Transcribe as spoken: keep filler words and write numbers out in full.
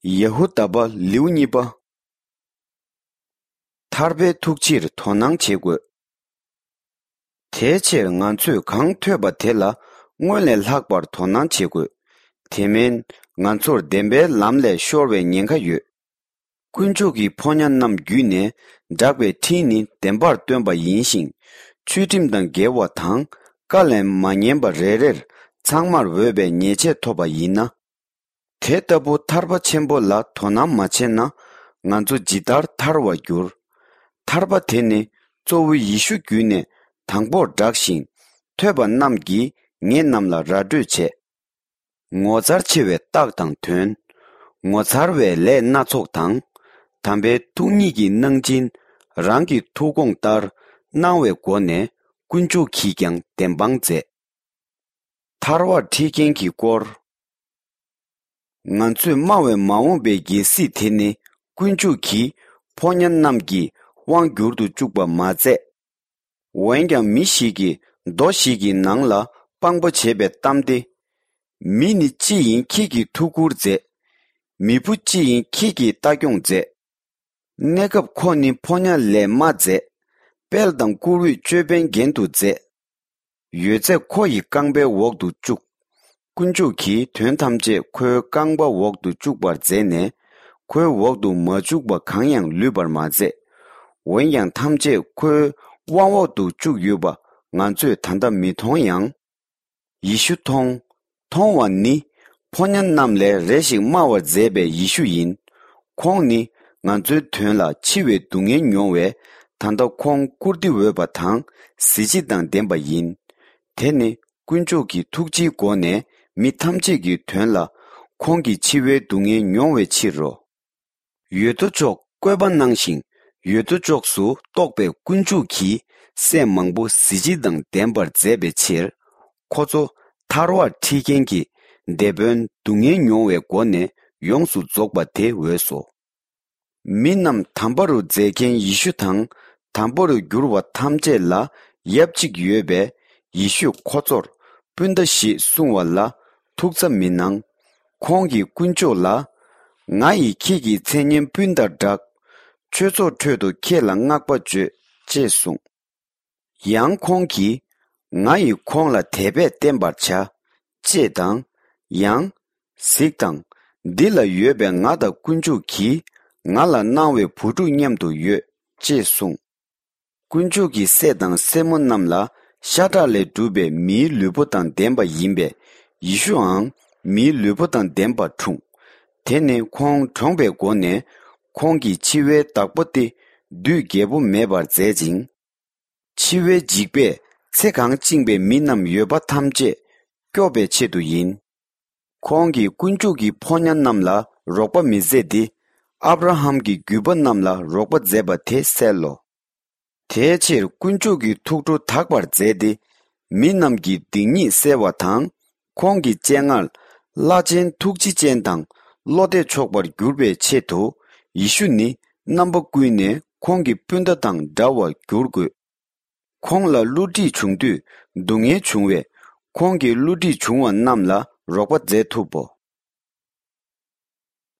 ཡ་ཧུ་དཱ་པ་ལེའུ་གཉིས་པ། ཐར་པའི་ཐུགས་རྗེར་དོ་སྣང་བྱེད་དགོས། དེའི་ཕྱིར་ང་ཚོས་གང་ཐོས་པ་དེ་ལ་སྔོན་ལས་ལྷག་པར་དོ་སྣང་བྱེད་དགོས། དེ་མིན་ང་ཚོར་བདེན་པའི་ལམ་ལས་ཤོར་བའི་ཉེན་ཁ་ཡོད། དཀོན་མཆོག་གི་ཕོ་ཉ་རྣམས་བརྒྱུད་ནས་བསྒྲགས་པའི་ཁྲིད་ནི་བདེན་པར་སྟོན་པ་ཡིན་ཞིང་། ཆོས་ཁྲིམས་དང་འགལ་བ་དང་བཀའ་ལས་མ་ཉན་པ་རེ་རེར་ཚང་མར་འོས་པའི་ཉེས་ཆད་ཐོབ་པ་ཡིན་ན། དེ་ལྟ་བུ་ཐར་པ་ཆེན་པོ་ལ་དོ་སྣང་མ་བྱས་ན་ང་ཚོ་ཇི་ལྟར་ཐར་བར་འགྱུར། ཐར་པ་དེ་ནི་གཙོ་བོ་ཡེ་ཤུ་བརྒྱུད་ནས་དང་པོར་བསྒྲགས་ཤིང་ཐོས་པ་རྣམས་ཀྱིས་ངེད་རྣམས་ལ་ར་སྤྲོད་བྱས། ངོ་མཚར་ཆེ་བའི་རྟགས་དང་དོན། ངོ་མཚར་བའི་ལས་སྣ་ཚོགས་དང་། དམ་པའི་ཐུགས་ཉིད་ཀྱི་གནང་སྦྱིན། རང་གི་ཐུགས་དགོངས་ལྟར་གནང་བའི་སྒོ་ནས་དཀོན་མཆོག་གིས་ཀྱང་བདེན་དཔང་མཛད། ཐར་བར་ཁྲིད་མཁན་གྱི་སྐོར། ང་ཚོས་སྨྲ་བའི་མ་འོངས་པའི་རྒྱལ་སྲིད་དེ་ནི་དཀོན་མཆོག་གིས་ཕོ་ཉ་རྣམས་ཀྱི་དབང་བསྒྱུར་དུ་བཅུག་པ་མ་ཟད། འོན་ཀྱང་མི་ཞིག་གིས་མདོ་ཞིག་གི་ནང་ལ་དཔང་པོ་བྱས་པའི་གཏམ་སྟེ། མི་ནི་ཅི་ཡིན་ཁྱེད་ཀྱིས་ཐུགས་ཁུར་མཛད། མི་བུ་ཅི་ཡིན་ཁྱེད་ཀྱིས་ལྟ་སྐྱོང་མཛད། གནས་སྐབས་ཁོ་ནི་ཕོ་ཉ་ལས་མ་མཛད། དཔལ་དང་བཀུར་འོས་ཅོད་པན་རྒྱན་དུ་མཛད། ཡོད་ཚད་ཁོ་ཡི་རྐང་པའི་འོག་ཏུ་བཅུག། དཀོན་མཆོག་གིས་དོན་ཐམས་ཅད་ཁོའི་རྐང་པ་འོག་ཏུ་བཅུག་པར་མཛད་ནས། ཁོའི་འོག་ཏུ་མ་བཅུག་པ་གང་ཡང་ལུས་པར་མ་མཛད། འོན་ཀྱང་ཐམས་ཅད་ཁོའི་དབང་འོག་ཏུ་བཅུག་ཡོད་པ་ང་ཚོས་ད་ལྟ་མི་མཐོང་ཡང་། ཡེ་ཤུ་མཐོང་། མཐོང་བ་ནི། ཕོ་ཉ་རྣམས་ལས་རེ་ཞིག་སྨྲ་བར་མཛད་པའི་ཡེ་ཤུ་ཡིན། ཁོང་ནི་ང་ཚོའི་དོན་ལ་འཆི་བའི་སྡུག་བསྔལ་མྱོང་བས། ད་ལྟ་ཁོང་བཀུར་སྟི་འོས་པ་དང་གཟི་བརྗིད་དང་ལྡན་པ་ཡིན། དེ་ནི་དཀོན་མཆོག་གི་ཐུགས་རྗེའི་སྒོ་ནས་མི་ཐམས་ཅད་ཀྱི་དོན་ལ་ཁོང་གིས་འཆི་བའི་སྡུག་བསྔལ་མྱོང་བའི་ཕྱིར་རོ། ཡོད་དོ་ཅོག་བཀོད་པ་གནང་ཞིང་ཡོད་དོ་ཅོག་སུ་གཏོགས་པའི་དཀོན་མཆོག་གིས་སྲས་མང་པོ་གཟི་བརྗིད་དང་ལྡན་པར་མཛད་པའི་ཕྱིར། ཁོ་ཚོ་ཐར་བར་ཁྲིད་མཁན་གྱི་དེད་དཔོན་སྡུག་བསྔལ་མྱོང་བའི་སྒོ་ནས་ཡོངས་སུ་རྫོགས་པ་དེ་འོས་སོ། མི་རྣམས་དམ་པ་རུ་མཛད་མཁན་ཡེ་ཤུ་དང་དམ་པ་རུ་གྱུར་བ་ཐམས་ཅད་ལ་ཡབ་གཅིག་ཡོད་པས། ཡེ་ཤུས་ཁོ་ཚོར་སྤུན་ཟླ་ཞེས་གསུང་བ་ལ་ཐུགས་ཚ་མི་གནང་། ཁོང་གིས་དཀོན་མཆོག་ལ། ང་ཡིས་ཁྱེད་ཀྱི་མཚན་སྙན་སྤུན་ཟླར་བསྒྲགས། ཆོས་ཚོགས་ཁྲོད་དུ་ཁྱེད་ལ་བསྔགས་པ་བརྗོད། ཅེས་གསུངས། ཡང་ཁོང་གིས། ང་ཡིས་ཁོང་ལ་དད་པས་བསྟེན་པར་བྱ། ཅེས་དང་། ཡང་། གཟིགས་དང་། འདི་ལ་ཡོད་པའི་ང་དང་དཀོན་མཆོག་གིས་ང་ལ་གནང་བའི་བུ་ཕྲུག་མཉམ་དུ་ཡོད། ཅེས་གསུངས། དཀོན་མཆོག་གི་སྲས་དང་སྲས་མོ་རྣམས་ལ་ཤ་ཁྲག་ལས་གྲུབ་པའི་མིའི་ལུས་པོ་དང་ལྡན་པ་ཡིན་པས། ཡེ་ཤུའང་མིའི་ལུས་པོ་དང་ལྡན་པར་འཁྲུངས། དེ་ནི་ཁོང་གྲོངས་པའི་སྒོ་ནས་ཁོང་གི་འཆི་བའི་བདག་པོ་སྟེ་བདུད་རྒྱལ་པོ་མེད་པར་མཛད་ཅིང་། འཆི་བའི་འཇིགས་པས་ཚེ་གང་བཅིངས་པའི་མི་རྣམས་ཡོད་པ་ཐམས་ཅད་སྐྱོབ་པའི་ཆེད་དུ་ཡིན། ཁོང་གིས་དཀོན་མཆོག་གི་ཕོ་ཉ་རྣམས་ལ་རོགས་པ་མི་མཛད་དེ། ཨབ་ར་ཧམ་གྱི་རྒྱུད་པ་རྣམས་ལ་རོགས་པ་མཛད་པ་དེ་གསལ་ལོ། དེའི་ཕྱིར་དཀོན་མཆོག་གི་ཐུགས་ཁྲོ་དག་པར་མཛད་དེ། མི་རྣམས་ཀྱི་སྡིག་ཉེས་བསལ་བ་དང་། ཁོང་གི་སྤྱན་སྔར་བླ་ཆེན་ཐུགས་རྗེ་ཅན་དང་བློ་གཏད་ཆོག་པར་འགྱུར་བའི་ཆེད་དུ། ཡེ་ཤུ་ནི་རྣམ་པ་ཀུན་ནས་ཁོང་གི་སྤུན་ཟླ་དང་འདྲ་བར་འགྱུར་དགོས། ཁོང་ལ་བསླུ་བྲིད་བྱུང་དུས་སྡུག་བསྔལ་བྱུང་བས། ཁོང་གིས་བསླུ་བྲིད་བྱུང་བ་རྣམས་ལ་རོགས་པ་མཛད་ཐུབ་བོ།